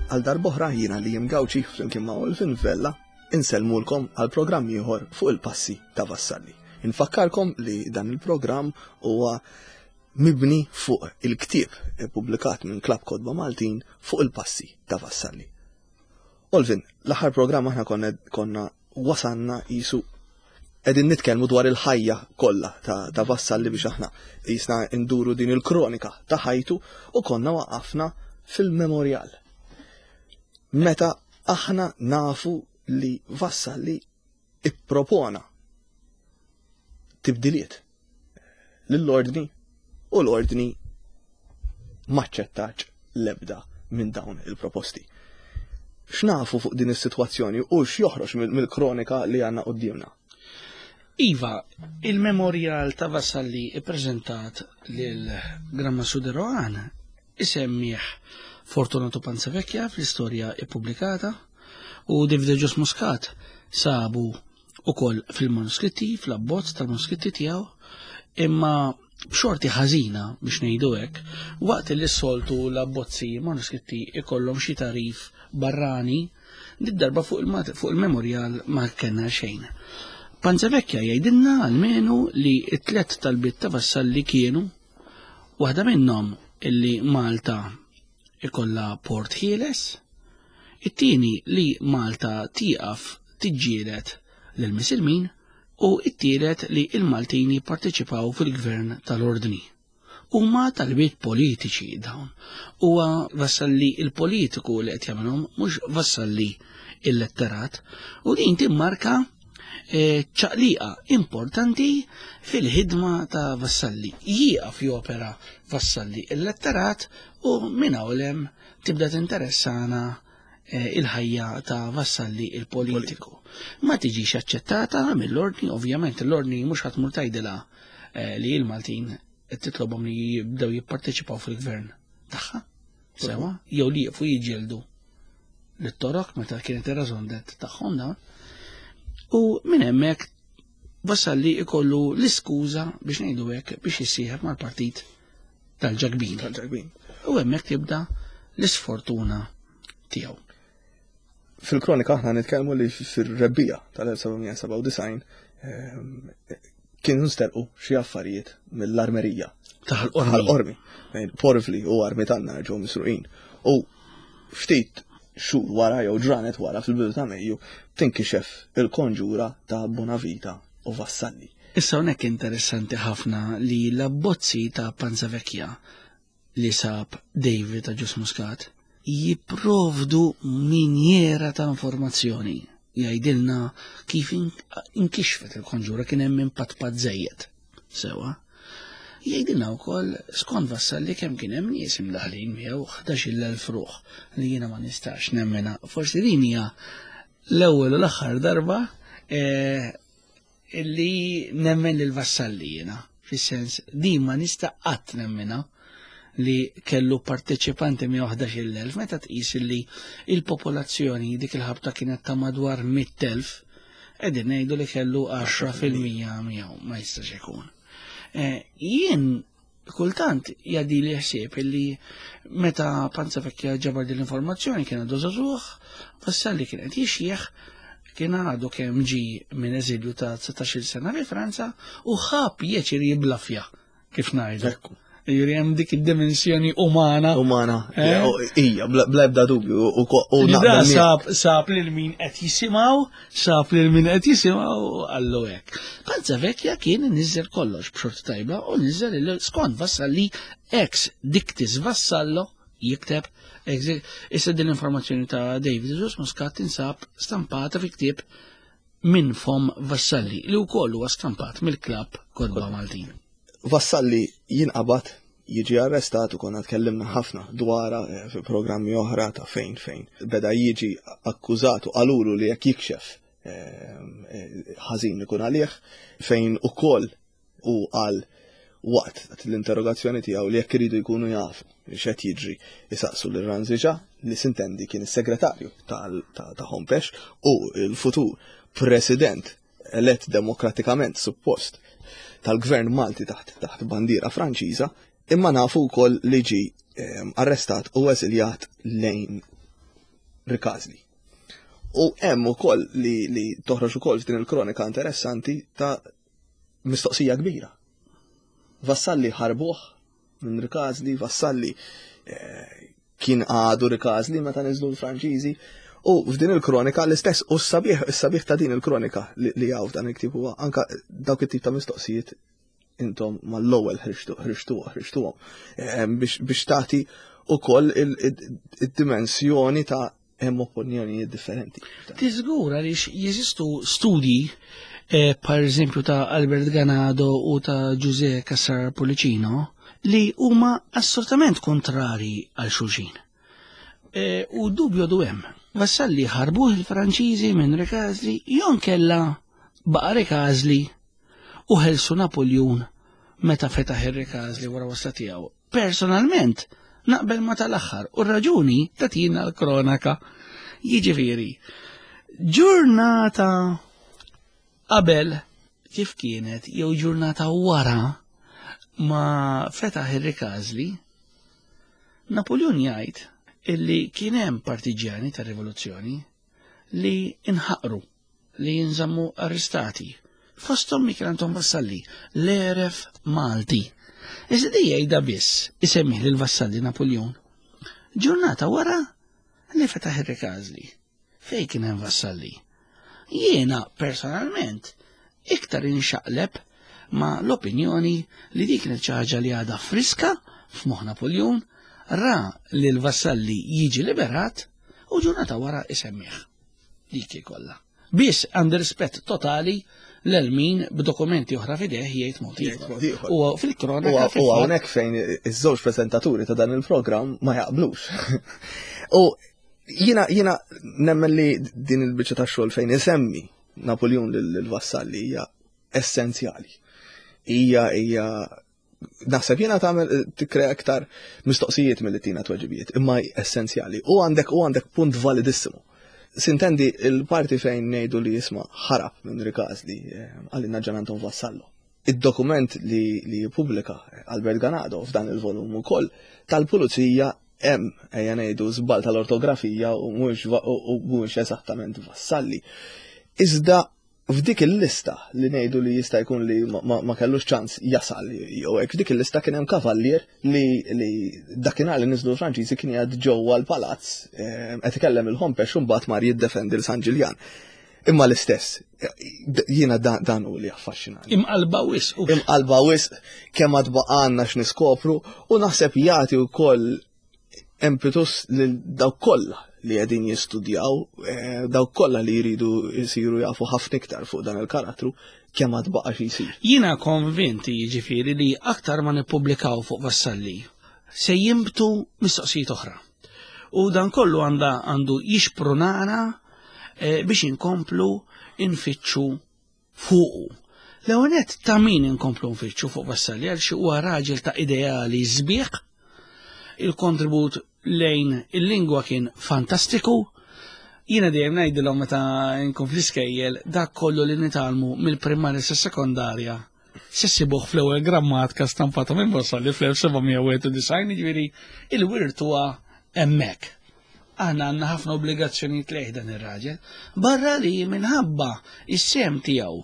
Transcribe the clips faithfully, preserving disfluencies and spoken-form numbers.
Għal darb'oħra jiena li Gawċi flimkien ma' Olvin Vella insellmulkom għal programm ieħor fuq il-passi ta' Vassalli. Infakkarkom li dan il-programm huwa mibni fuq il-ktieb ippubblikat minn Klabb Kotba Maltin fuq il-passi ta' Vassalli. Olvin, l-aħħar programm aħna konna, konna wasanna jisu qegħdin nitkellmu dwar il-ħajja kollha ta', ta' Vassalli biex aħna jisna nduru din il-kronika ta' ħajtu u konna waqafna fil-memorial. Meta aħna nafu li Vassalli ippropona tibdiliet lill-ordni u l-ordni maċċettax l-ebda minn dawn il-proposti. X'nafu fuq din is-sitwazzjoni u x'joħroġ mill-kronika li għandna qudiemna? Iva, il-memorial ta' Vassalli ippreżentat lil Gran Mastru de Rohan isemmih Fortunato Panzavecchia fl-istorja ippubblikata u David Agius Muscat sabu ukoll fil-manuskritti, fl-abbozz tal-manuskritti tiegħu, imma b'xorti ħażina biex ngħidu hekk, waqt li s-soltu l-abbozzi manuskritti ikollhom xi tarif barrani, did-darba fuq il-memorial ma kellna xejn. Panzavecchia jgħidilna almenu li t-tlet talbiet ta' Vassalli kienu waħda minnhom illi Malta ikollha port ħieles, it-tieni li Malta tieqaf tiġġieled lill-Misilmin u it-tielet li il-Maltin jipparteċipaw fil-gvern tal-ordni. Huma talbiet politiċi dawn. Huwa Vassalli il-politiku li qed jagħmilhom, mhux Vassalli il-letterat, u din timmarka ċaqliqa importanti fil-ħidma ta' Vassalli. Jieqaf jopera Vassalli il-letterat u minn hawn tibda tinteressana il-ħajja ta' Vassalli il-politiku. Ma tiġix aċċettata mill-ordni, ovvjament l-ordni mhux ħa tmur tgħidilha li l-Maltin qed titlobhom li jibdew jipparteċipaw fil-gvern tagħha, sewa, jew li jieqfu jiġġieldu lit-Torok meta kienet ir-raison d'être tagħhom dawn. U minn hemmhekk Vassalli ikollu l-iskuża biex ngħidu hekk biex jissieħeb mal-partit tal-Ġakbin. Tal-Ġakbin. U hemmhekk tibda l-isfortuna tiegħu. Fil-kronika aħna nitkellmu li fir-rebbiegħa tal-elf seba' sebgħa u disgħin kienu nsterqu xi affarijiet mill-armerija. Taħal-qormi. Taħal-qormi. Porvli u armi tan-nar ġew misruqin. U ftit xhur wara jew ġranet wara fil-bidu ta' Mejju tinkixef il-konġura ta' Bonavita u Vassalli. Issa hawnhekk interessanti ħafna li l-abbozzi ta' Panzavecchia li sab David Agius Muscat jipprovdu minjera ta' informazzjoni. Jgħidilna kif inkixfet il-konġura, kien hemm impatt żejjed. Sewa. Jgħidilna wkoll skont Vassalli kemm kien hemm nies imdaħlin miegħu ħdax-il elf ruħ li jiena ma nistax nemmena. Forsi din hija l-ewwel u l-aħħar darba illi nemmen lil Vassalli jiena. Fis-sens din ma nista' qatt nemmena li kellu parteċipanti minn ħdax-il elf, meta tqis li il-popolazzjoni dik il-ħabta kienet ta' madwar mitt elf, qegħdin ngħidu li kellu għaxra fil-mija miegħu, ma jistax ikun. Jien kultant jgħaddi li ħsieb illi meta Panzavecchia ġabar din l-informazzjoni kien għadu żagħżugħ, Vassalli kien qed jixjieħ, kien għadu kemm ġi minn eżilju ta' dsatax-il sena fi Franza u ħa pjaċir jiblafja, kif ngħidu. Ekku. Jiġifieri hemm dik id-dimensjoni umana. Umana, Eh? ija, bla ebda dubju, u ko-, u Li da naqbel miegħek. sab, sab lil min qed jisimgħu, sab lil min qed jisimgħu għallu hekk. Panzavecchia kien niżel kollox b'xorti tajba u niżel il skont Vassalli ex dictis Vassallo jikteb ex, issa din l-informazzjoni ta' David Agius Muscat tinsab stampata fi ktieb minn fom Vassalli li wkoll huwa stampat mill-Klabb Kotba Maltin. Vassalli jinqabad, jiġi arrestat u konna tkellimna ħafna dwara, eh, fi programmi oħra ta' fejn fejn. Beda jiġi akkużat u qalulu li jekk jikxef, eh, eh, ħażin ikun għalih, fejn ukoll u qal waqt l-interrogazzjoni tiegħu li jekk iridu jkunu jafu x'qed jiġri isaqsu lil Ranziġa li sintendi kien is-segretarju tal-, ta', ta' Hompesch u l-futur president elett demokratikament suppost tal-gvern Malti taħt, taħt bandiera Franċiża, imma nafu wkoll li ġi, ehm, arrestat u eżiljat lejn Rikażli. U hemm ukoll li, li toħroġ ukoll f'din il-kronika interessanti ta' mistoqsija kbira. Vassalli ħarbuh minn Rikażli, Vassalli eh, kien għadu Rikażli meta niżlu l-Franċiżi. U f'din il-kronika l-istess, u s-sabiħ, s-sabiħ ta' din il-kronika li, li hawn f'dan il-ktieb huwa anka dawk it-tip ta' mistoqsijiet intom mal-ewwel ħriġtu ħriġtu ħriġtuhom eh, biex biex tagħti ukoll il-dimensjoni ta' hemm opinjonijiet differenti. Tiżgur għaliex jeżistu studji eh, per eżempju ta' Albert Ganado u ta' Giuseppe Cassar Pollicino li huma assolutament kontrari għal xulxin. Eh, u dubju du hemm. Vassalli ħarbuh il-Franċiżi minn Rikażli jew kella baqa' Rikażli u ħelsu Napoljun meta fetaħ ir-Rikażli wara wasla tiegħu. Personalment, naqbel ma tal-aħħar u r-raġuni tatina l-kronaka. Jiġifieri, ġurnata qabel kif kienet jew ġurnata wara ma fetaħ ir-Rikażli, Napoleon jgħid illi kien hemm partiġjani tar-rivoluzzjoni li inħaqru, li jinżammu arrestati. Fosthom Michel Anton Vassalli, l-eref Malti. Iżda di jgħidha biss isemmih lil Vassalli Napoleon. Ġurnata wara li fetaħ ir-Rikażli. Fej kien hemm Vassalli? Jiena personalment iktar inxaqleb ma l-opinjoni li dik kienet xi ħaġa li għadha friska f'moħħ Napoleon, ra li l-Vassalli jiġi liberat u ġurnata wara isemmih. Dik kollha. Biss għandi rispett totali lil min b'dokumenti oħra f'idejh jgħid mod ieħor. U fil-kronaka U hawnhekk fejn iż-żewġ preżentaturi ta' dan il-programm ma jaqblux. U jiena jiena nemmen li din il-biċċa ta' xogħol fejn isemmi Napoleon lil Vassalli hija essenzjali. Hija hija naħseb jiena tagħmel tikkrea aktar mistoqsijiet milli tina tweġibiet, imma essenzjali. U għandek u għandek punt validissimu. Sintendi il-parti fejn ngħidu li jisma' ħarab minn Rikażli għalina Gian Anton Vassallo. Id-dokument li li jippubblika Albert Ganado f'dan il-volum ukoll tal-pulizija hemm ejja ngħidu żball tal-ortografija u mhux u mhux eżattament Vassalli. Iżda f'dik il-lista li ngħidu li jista' jkun li ma, ma kellux ċans jasal jew hekk, f'dik il-lista kien hemm kavallier li, li dakinhar li niżlu l-Franċiżi kien jgħad ġewwa l-palazz qed ikellem il-Hompesch u mbagħad mar jiddefendi l San Ġiljan. Imma l-istess, jiena dan, dan hu li affaxxinani. Imqalba wisq. Imqalba wisq kemm għad baqgħalna x'niskopru u naħseb jagħti wkoll impetus lil dawk kollha li qegħdin jistudjaw, dawk kollha li jridu jsiru jafu ħafna iktar fuq dan il-karattru, kemm għad baqa' xi jsir. Jiena konvinti jiġifieri li aktar ma nippubblikaw fuq Vassalli se jimbtu mistoqsijiet oħra. U dan kollu għanda għandu jixprunana eh, biex inkomplu infittxu fuqu. L-ewwel ta' min inkomplu nfittxu fuq Vassalli għal xi huwa raġel ta' ideali sbieħ, il-kontribut lejn il-lingwa kien fantastiku. Jiena dejjem ngħidilhom meta nkun fl-iskejjel dak kollu li nitgħallmu mill-primarja sa sekondarja se ssibuh fl-ewwel grammatika stampata minn Vassalli fl-elf seba' mija u wieħed u disgħin, jiġifieri il-wirt huwa hemmhekk. Aħna għandna ħafna obbligazzjonijiet lejh dan ir-raġel, barra li minħabba is-sehem tiegħu,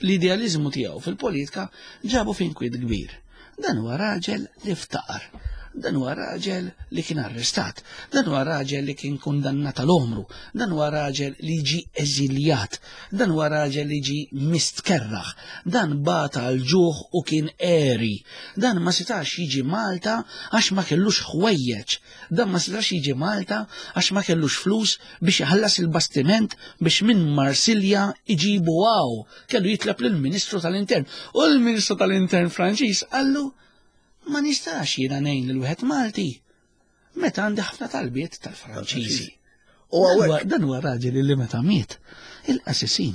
l-idealizmu tiegħu fil-politika ġabu f'inkwiet kbir. Dan huwa raġel li ftaqar. Dan huwa raġel li kien arrestat, dan huwa raġel li kien kundannat għal-omru, dan huwa raġel li ġi eżiljat, dan huwa raġel li ġi mistkerraħ, dan bata l-ġuħ u kien għeri, dan ma setax jiġi Malta għax ma kellux ħwejjeġ, dan ma setax jiġi Malta għax ma kellux flus biex iħallas il-bastiment biex minn Marsilja iġibu hawn, kellu jitleb lill-Ministru tal-Intern. U l-Ministru tal-Intern Franċiż qallu, ma nistax jiena ngħin lil wieħed Malti meta għandi ħafna talbiet tal-Franċiżi. U hawnhekk Dan huwa raġel li meta miet il-qassisin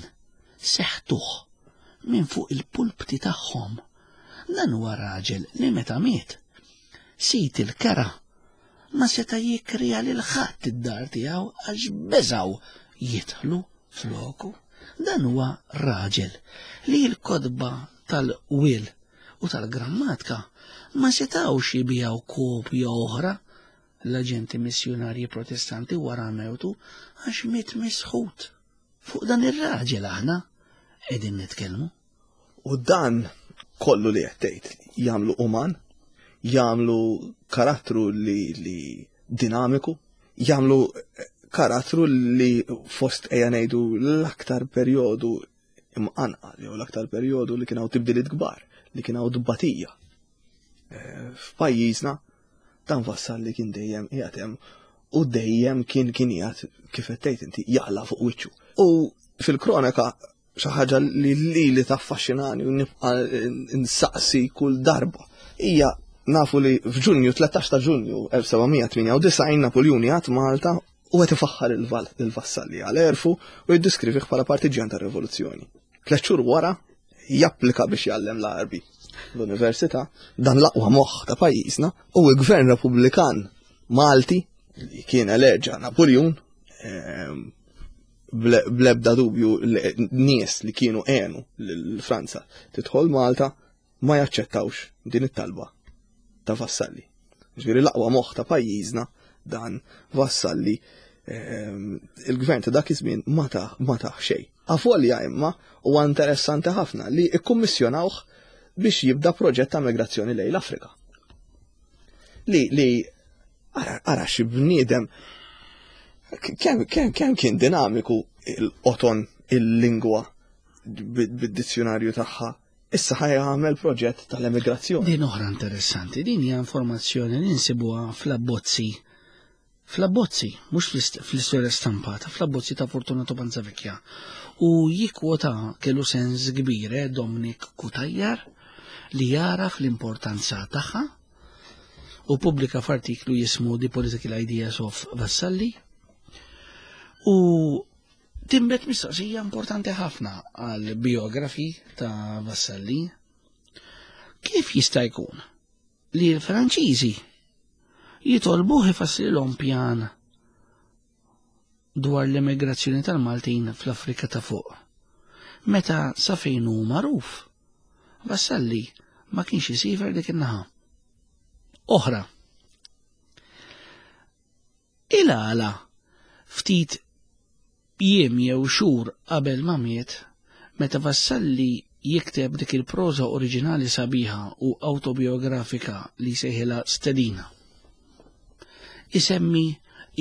seħtuh minn fuq il-pulpti tagħhom. Dan huwa raġel li meta miet sid il-kera ma seta jikrija lil ħadd id-dar tiegħu għax beżaw jidħlu floku. Dan huwa raġel li l-kotba tal-wil u tal-grammatika ma setawx jibijaw kopja oħra l-aġenti missjunarji protestanti wara mewtu għax miet misħut. Fuq dan ir-raġel aħna qegħdin nitkellmu. U dan kollu li qed tgħid jagħmlu uman, jagħmlu karattru li, li dinamiku, jagħmlu karattru li fost ejja ngħidu l-aktar perjodu imqanqal jew l-aktar perjodu li kien hawn tibdiliet kbar, li kien hawn tbatija. Eh, f'pajjiżna dan Vassalli kien dejjem qiegħed hemm u dejjem kien kien qiegħed kif qed tgħid inti jaqla' fuq wiċċu. U fil-kronaka xi ħaġa li li li taffaxxinani u nibqa' nsaqsi kull darba hija nafu li f'Ġunju tlettax ta' Ġunju elf seba' mija tmienja u disgħin Napoljuni għad Malta u qed ifaħħar il-Vassalli għal erfu u jiddiskrivih bħala partiġjan tar-rivoluzzjoni. Tliet xhur wara japplika biex jgħallem l-Għarbi l-università, dan l-aqwa moħħ ta' pajjiżna u l-Gvern Repubblikan Malti li kien eleġa Napoljun, ehm, blebda dubju nies li kienu għenu lil Franza tidħol Malta ma jaċċettawx din it-talba ta' Vassalli. Ġifieri l-aqwa moħħ ta' pajjiżna dan Vassalli, ehm, il-gvern ta' dak iż-żmien ma ta' ma ta' xejn. Avolja imma huwa interessanti ħafna li ikkummissjonawh biex jibda proġett ta' migrazzjoni lejn l-Afrika. Li, li ara, ara xi bniedem kemm, kemm, kemm kien dinamiku il-qoton il-lingwa bid-dizzjonarju tagħha. Issa ħaj għamel proġett tal-emigrazzjoni. Din oħra interessanti, din hija informazzjoni li nsibuha fl-abbozzi. Fl-abbozzi, mhux fl-istorja stampata, fl-abbozzi ta' Fortunato Panzavecchia. U jikwota kellu sens kbir, eh, Dominic Cutajar, li jara fl-importanza tagħha u pubblika f'artiklu jismu The Political Ideas of Vassalli. U timbet mistoqsija importanti ħafna għal biografi ta' Vassalli. Kif jista' jkun li l-Franċiżi jitolbuh ifassilhom pjan dwar l-immigrazzjoni tal-Maltin fl-Afrika ta' fuq, meta sa fejn hu magħruf Vassalli ma kienx isifer dik in-naħa? Oħra, il-għala ftit jiem jew xhur qabel ma miet, meta Vassalli jikteb dik il-proża oriġinali sabiħa u autobiografika li sejħilha Stedina, isemmi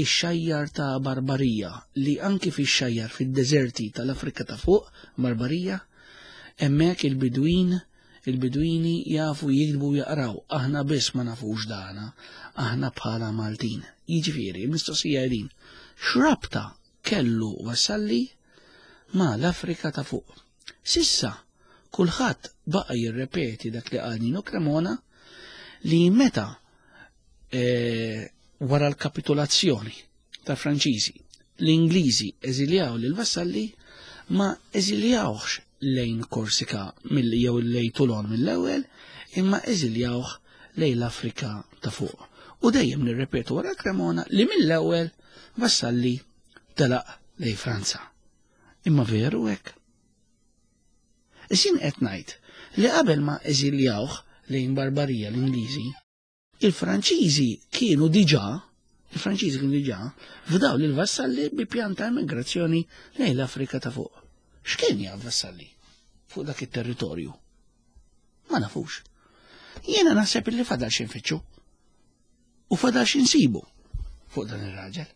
ix-xajjar ta' Barbarija li anki fix-xajjar fid-deżerti tal-Afrika ta' fuq, Barbarija, hemmhekk il-Bidwin, il-Bidwini jafu jiktbu u jaqraw, aħna biss ma nafux dana, aħna bħala Maltin. Jiġifieri, il-mistoqsija din, x'rabta kellu Vassalli ma' l-Afrika ta' fuq? Sissa, kulħadd baqa' jirrepeti dak li qal Nino Cremona li meta, eh, wara l-kapitolazzjoni ta' Franċiżi, l-Ingliżi eżiljaw lil Vassalli, ma eżiljawx lejn Korsika mill jew lejn Toulon mill-ewwel, imma eżiljawh lejn l-Afrika ta' fuq. U dejjem nirrepetu wara Cremona li mill-ewwel Vassalli telaq lejn Franza. Imma veru hekk? Isin qed ngħid li qabel ma eżiljawh lejn Barbarija l-Ingliżi, il-Franċiżi kienu diġà, il-Franċiżi kienu diġà fdaw lil Vassalli bi pjan ta' immigrazzjoni lejn l-Afrika ta' fuq. X'kien jaf Vassalli fuq dak it-territorju? Ma nafux. Jiena naħseb li fadal xi nfittxu u fadal xi nsibu fuq dan ir-raġel.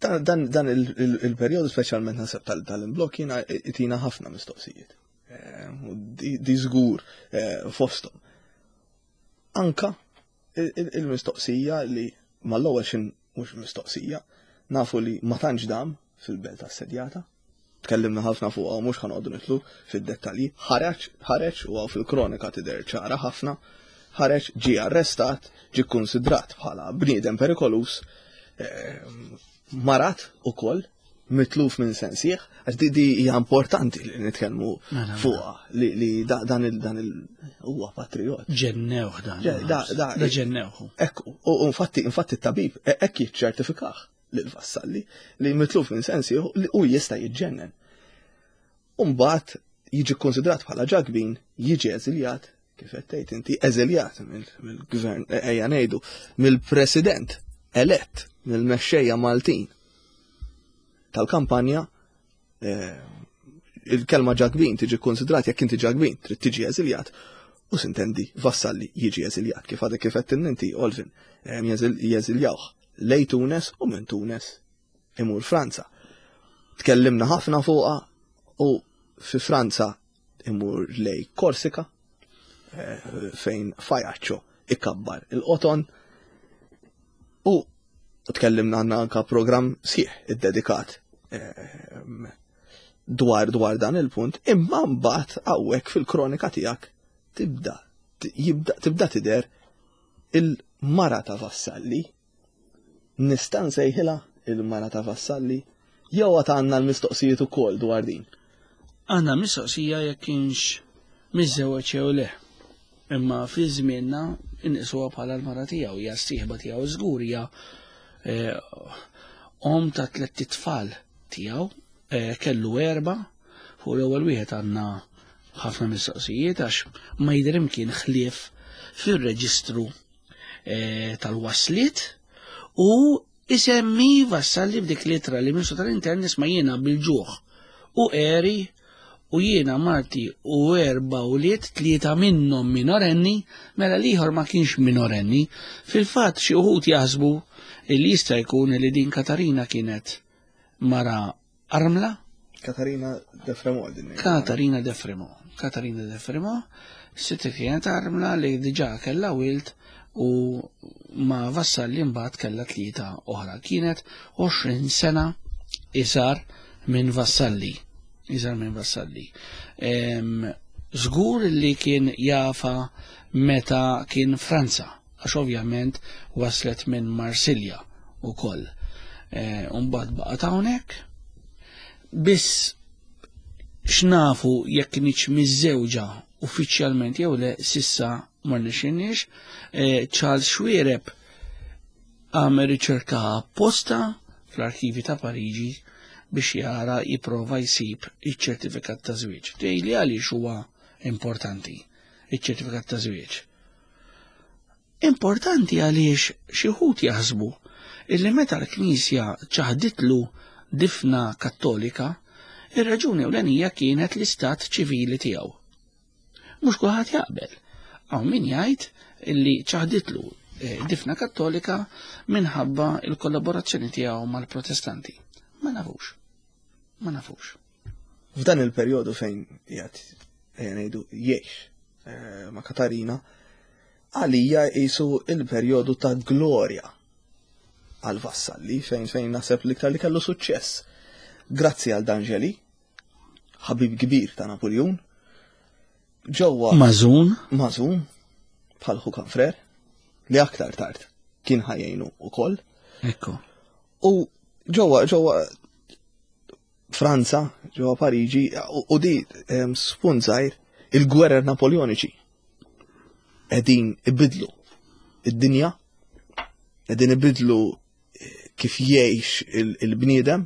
Dan, dan, dan il-, il-, il-perjodu speċjalment naħseb tal-, tal-imblokk jiena itina ħafna mistoqsijiet. Eh, u di, di żgur, eh, fosthom. Anka il-, il-, il-mistoqsija li mal-ewwel xin mhux mistoqsija, nafu li ma tantx dam fil-belt assedjata. Tkellimna ħafna fuqha u mhux ħanoqogħdu nitlu fid-dettalji. Ħareġ, ħareġ u hawn fil-kronika tidher ċara ħafna, ħareġ, ġie arrestat, ġie kkunsidrat bħala bniedem perikolus, ehm, marat ukoll, mitluf minn sensieħ, għax di, di hija importanti li nitkellmu Mela, mela. fuqha, li, li da, dan il, dan il, huwa patriot. Ġennewh dan. Ġe, da, da, Da ġennewh. Ekku, u, u infatti, infatti t-tabib e-, hekk jiċċertifikah lil Vassalli li mitluf minn sensieħ li u jista' jiġġennen. U mbagħad jiġi konsidrat bħala ġakbin, jiġi eżiljat, kif qed tgħid inti, eżiljat mill-gvern, ejja ngħidu, mill-president elett mill-mexxejja Maltin tal-kampanja, eh, il-kelma Ġakbin tiġi konsidrat jekk inti Ġakbin trid tiġi eżiljat u sintendi Vassalli jiġi eżiljat kif għadek kif qed inti Olvin jeżiljawh lej Tunes u minn Tunes imur Franza. Tkellimna ħafna fuqha u fi Franza imur lej Korsika eh, fejn Fajaccio ikabbar il-qoton u tkellimna għandna anka programm sħiħ iddedikat eh, dwar dwar dan il-punt, imma mbagħad hawnhekk fil-kronika tiegħek tibda jibda tibda tidher il-mara ta' Vassalli. Nista' nsejħilha il-mara ta' Vassalli jew għad għandna l-mistoqsijiet ukoll dwar din. Għandna mistoqsija jekk kienx miżżewweġ jew le. Imma fi żmienna inqisuha bħala l-mara tiegħu, hija s-sieħba tiegħu żgur, hija eh, om ta' tlett itfal tiegħu, eh, kellu erba, fuq l-ewwel wieħed għandna ħafna mistoqsijiet għax ma jidher imkien ħlief fir-reġistru eh, tal-wasliet u isemmi Vassalli b'dik litra li Ministru tal-Intern nisma' jiena bil-ġuħ u eri u jiena marti u erba ulied tlieta minnhom minorenni, mela l-ieħor ma kienx minorenni. Fil-fatt xi wħud jaħsbu li jista' jkun li din Katarina kienet mara armla. Katarina de Fremont din. Katarina de Fremont. Katarina de Fremont, sitti kienet armla li diġà kellha wild u ma Vassalli mbagħad kellha tlieta oħra. Kienet għoxrin sena iżgħar minn Vassalli. Iżgħar minn Vassalli. Żgur li kien jafa meta kien Franza, għax ovvjament waslet minn Marsilja ukoll. Mbagħad baqgħet hawnhekk. Biss x'nafu jekk kienx miżżewġa uffiċjalment jew le sissa ma rnexxinniex. Charles Xuereb għamel riċerka apposta fl-arkivi ta' Pariġi biex jara jipprova jsib iċ-ċertifikat ta' żwieġ. Tgħidli għaliex huwa importanti iċ-ċertifikat ta' żwieġ. Importanti għaliex xi wħud jaħsbu illi meta l-Knisja ċaħditlu difna kattolika, ir-raġuni ewlenija kienet l-istat ċivili tiegħu. Mhux kulħadd jaqbel. Hawn min jgħid illi ċaħditlu difna kattolika minħabba il-kollaborazzjoni tiegħu mal-Protestanti. Ma nafux. Ma nafux. F'dan il-perjodu fejn qiegħed ejja ngħidu jgħix ma' Katarina, għalija qisu il-perjodu ta' glorja għal Vassalli fejn fejn naħseb l-iktar li kellu suċċess. Grazzi għal D'Angeli, ħabib kbir ta' Napoleon, ġewwa Mażun, Mażun bħal ħu Kanfrer, li aktar tard kien ħajjejnu ukoll. Ekku. U ġewwa ġewwa Franza, ġewwa Pariġi, u di spunt żgħir il-gwerer Napoleoniċi qegħdin ibidlu id-dinja, qegħdin ibidlu kif jgħix il-bniedem,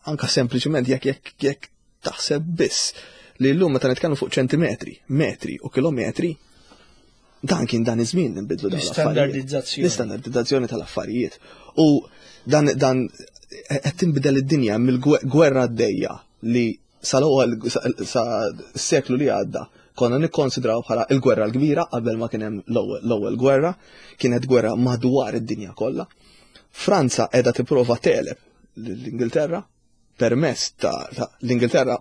anka sempliċement jekk jekk jekk taħseb biss li llum meta nitkellmu fuq ċentimetri, metri u kilometri, dan kien dan iż-żmien li nbidlu dawn l-affarijiet. L-istandardizzazzjoni. L-istandardizzazzjoni tal-affarijiet. U dan dan qed tinbidel id-dinja mill-gwerra għaddejja li sal-ewwel sa seklu li għadda konna nikkonsidraw bħala il-gwerra l-kbira qabel ma kien hemm l-ewwel gwerra, kienet gwerra madwar id-dinja kollha. Franza qiegħda tipprova tegħleb l-Ingilterra permezz ta' l-Ingilterra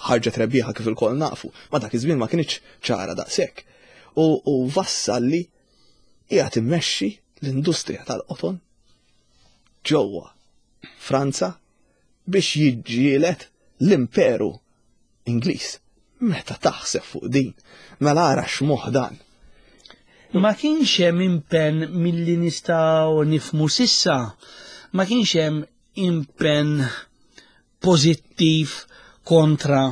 ħarġet rebbieħa kif ilkoll nafu, ma dak iż-żmien ma kienx ċara daqshekk. U, u Vassalli qiegħed immexxi l-industrija tal-qoton ġewwa Franza biex jiġġieled l-Imperu Ingliż. Meta taħseb fuq din, mela ara x'moħħ dan. Ma kienx hemm impenn milli nistgħu nifmu sissa, ma kienx hemm impenn pożittiv kontra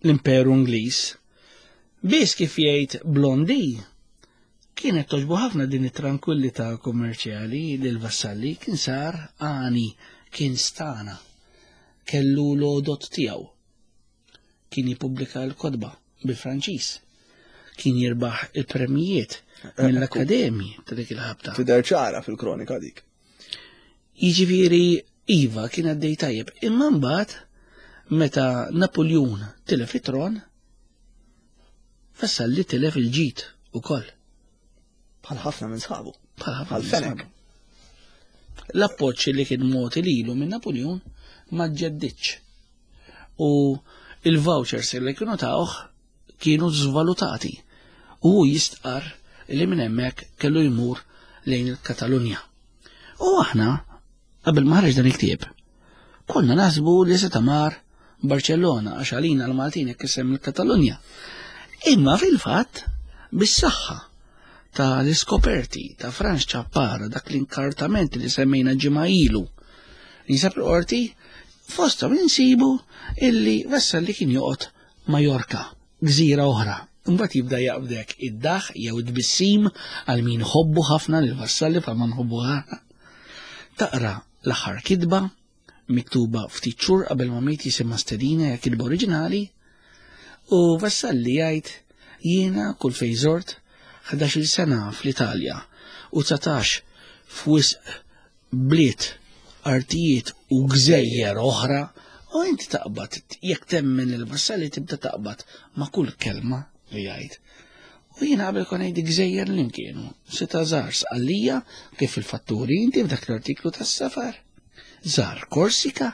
l-Imperu Ingliż. Biss kif jgħid Blondi, kienet toġbu ħafna din it-tranquillità kummerċjali lil Vassalli kien sar għani, kien stana, kellu l-għodot tiegħu. Kien jippubblika l-kotba bil-Franċiż. Kien jirbaħ il-premijiet mill-akkademji ta' dik il-ħabta. Tidher ċara fil-kronika dik. Jiġifieri iva kien għaddej tajjeb, imma mbagħad meta Napoleon tilef it-tron, Vassalli tilef il-ġid ukoll. Bħal ħafna minn sħabu. Bħal ħafna Bħal minn Fenech. sħabu. L-appoġġ li kien mogħti lilu minn Napoleon ma ġeddidx. U il-vouchers li kienu tawh kienu żvalutati. U hu jistqar li minn hemmhekk kellu jmur lejn il-Katalunja. U aħna, qabel ma ħareġ dan il-ktieb, konna naħsbu li seta' mar Barcellona għax għalina l-Maltin jekk isem il-Katalunja. Imma fil-fatt, bis-saħħa ta' l-iskoperti ta' Franz Ciappara, dak l-inkartament li semmejna ġimgħa ilu, li jinsab il-qorti, fosthom insibu illi Vassalli kien joqgħod Majorka, gżira oħra. Imbagħad jibda jaqbdek id-daħ jew id-tbissim għal min ħobbu ħafna lil Vassalli bħalma nħobbu ħafna. Taqra l-aħħar kitba miktuba ftit xhur qabel ma miet jisimha Stedina, hija kitba oriġinali, u Vassalli jgħid jiena kull fejn żort ħdax-il sena fl-Italja u dsatax f'wisq bliet, artijiet u gżejjer oħra, u inti taqbad, jekk temmen il-Vassalli tibda taqbad ma' kull kelma li jgħid. U jiena qabel kon ngħid gżejjer li kienu, seta' żar Sqallija kif il-fatturi inti f'dak l-artiklu tas-safar. Żar Korsika,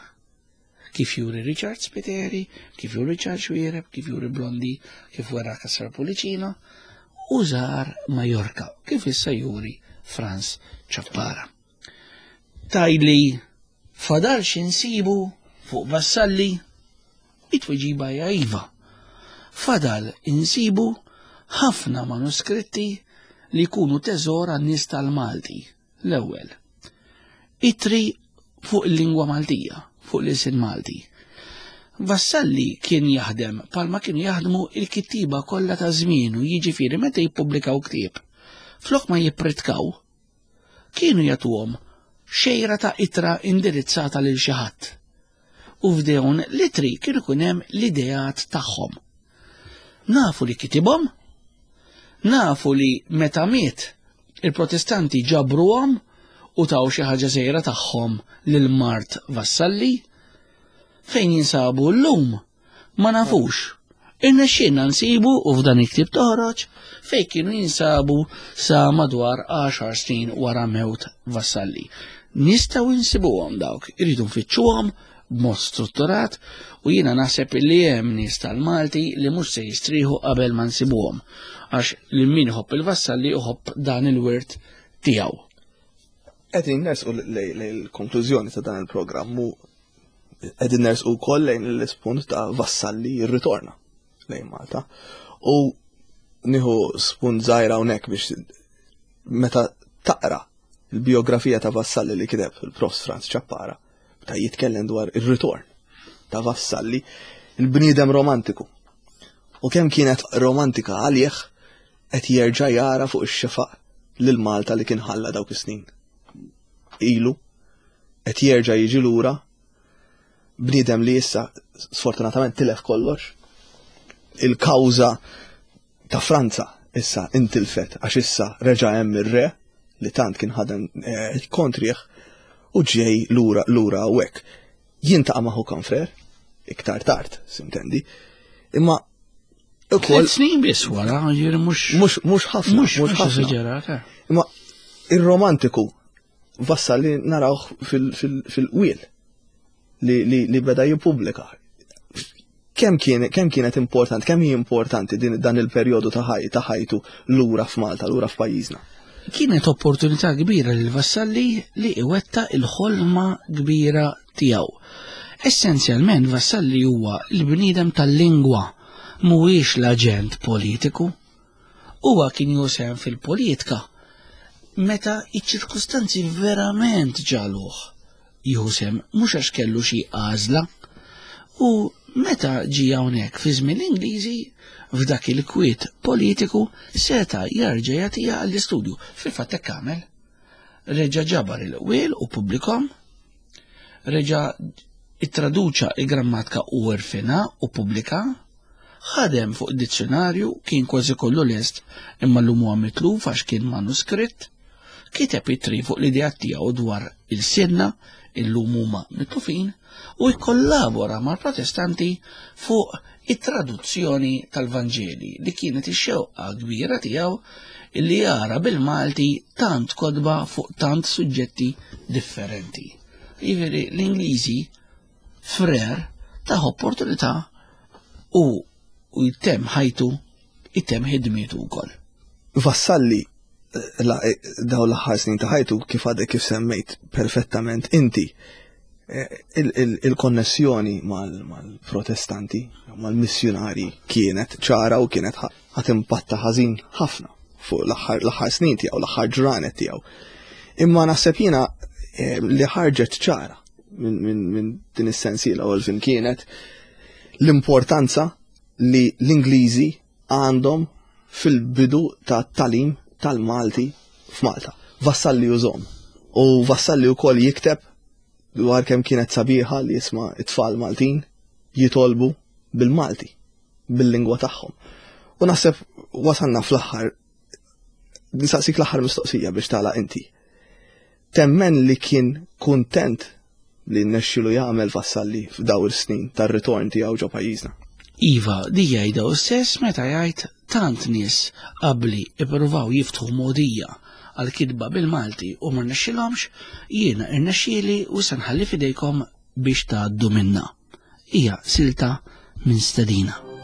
kif juri Richard Spiteri, kif juri Richard Xuereb, kif juri Blondi, kif wera Cassar Pullicino, u żar Majorka, kif issa juri Franz Ciappara. Tajli fadal x'insibu fuq Vassalli, it-tweġiba hija iva. Fadal insibu ħafna manuskritti li jkunu teżor għan-nies tal-Malti. L-ewwel, ittri fuq il-lingwa Maltija, fuq l-ilsien Malti. Vassalli kien jaħdem palma kienu jaħdmu il-kittiba kollha ta' żmienu, jiġifieri meta jippubblikaw ktieb. Flok ma jippritkaw, kienu jagħtuhom xejra ta' ittra indirizzata lil xi ħadd. U f'dawn l-ittri kienu ikun hemm l-ideat tagħhom. Nafu li kitibhom, nafu li meta miet il-Protestanti ġabruhom u taw xi ħaġa żgħira tagħhom lil Mart Vassalli. Fejn jinsabu llum ma nafux. Irnexxielna nsibu u f'dan il-ktieb toħroġ fejn kienu jinsabu sa madwar għaxar snin wara mewt Vassalli. Nistgħu nsibuhom dawk, irridu nfittxuhom b'mod strutturat, u jiena naħseb li hemm nies tal-Malti li mhux se jistrieħu qabel ma nsibuhom, għax lil min iħobb il-Vassalli iħobb dan il-wirt tiegħu. Qegħdin nersqu lejn il-konklużjoni ta' dan il-programm u qegħdin nersqu wkoll lejn l-ispunt ta' Vassalli jirritorna lejn Malta. U nieħu spunt żgħira hawnhekk biex meta taqra il-biografija ta' Vassalli li kiteb il-Profs Franz Ciappara, ta' jitkellem dwar ir-ritorn ta' Vassalli, il-bniedem romantiku. U kemm kienet romantika għalih qed jerġa' jara fuq ix-xefaq lil Malta li kien ħalla dawk is-snin. Ilu qed jerġa' jiġi lura bniedem li issa sfortunatament tilef kollox. Il-kawża ta' Franza issa intilfet għax issa reġa' hemm ir-re li tant kien ħadem, eh, kontrih u ġej lura lura hawnhekk. Jintaqa' ma' ħu konfrer iktar tard, sintendi. Imma ukoll Tliet snin biss wara, ġifieri mhux mhux mhux ħafna, mhux mhux mhux ħafna. eżaġerat, eh. Imma ir-romantiku Vassalli narawh fil-, fil-, fil-qwiel li, li, li beda jippubblika. Kemm kien, kemm kienet importanti, kemm hi importanti din, dan il-perjodu ta' ħaj, ta' ħajtu lura f'Malta, lura f'pajjiżna? Kienet opportunità kbira lil Vassalli li iwetta il-ħolma kbira tiegħu. Essenzjalment Vassalli huwa l-bniedem tal-lingwa, mhuwiex l-aġent politiku. Huwa kien josem fil-politika meta iċ-ċirkustanzi verament ġaluh jieħu sehem, mhux għax kellu xi għażla. U meta ġie hawnhekk fi żmien l-Ingliżi, f'dak il-kwiet politiku seta' jerġa' jagħtiha għall-istudju. Fil-fatt hekk għamel. Reġa' ġabar il-qwiel u pubblikom, reġa' ittraduċa il-grammatika u rfina u pubblika, Ħadem fuq dizzjonarju, kien kważi kollu lest, imma llum huwa mitluf għax kien manuskritt. Kiteb ittri fuq l-idea tiegħu dwar il-sinna, illum huma mitlufin, u jkollabora mal-Protestanti fuq it-traduzzjoni tal-Vanġeli li kienet ix-xewqa kbira tiegħu illi jara bil-Malti tant kotba fuq tant suġġetti differenti. Jiġifieri l-Ingliżi Frere tah opportunità u u jtemm ħajtu, jtemm ħidmietu wkoll. Vassalli la, daw l-aħħar snin ta' ħajtu, kif għadek kif semmejt perfettament inti, il-konnessjoni mal-Protestanti, mal-missjonari kienet ċara u kienet ħat impatta ħażin ħafna fuq l-aħħar snin tiegħu, l-aħħar ġranet tiegħu. Imma naħseb jiena li ħarġet ċara minn din is-sensiela u l kienet l-importanza li l-Ingliżi għandhom fil-bidu ta' talim tal-Malti f'Malta. Vassalli użom. U Vassalli wkoll jikteb dwar kemm kienet sabiħa li jisma' it-tfal Maltin jitolbu bil-Malti, bil-lingwa tagħhom. U naħseb wasalna fl-aħħar, nisaqsik l-aħħar mistoqsija biex tagħlaq inti. Temmen li kien kuntent li rnexxielu jagħmel Vassalli f'daw il-snin tar-ritorn tiegħu ġo pajjiżna? Iva, di jgħidha stess meta jgħid tant nies qabli ippruvaw jiftħu mogħdija għal kitba bil-Malti u ma rnexxilhomx, jiena irnexxieli u se nħalli fidejkom biex tgħaddu minna. Hija silta minn Stedina.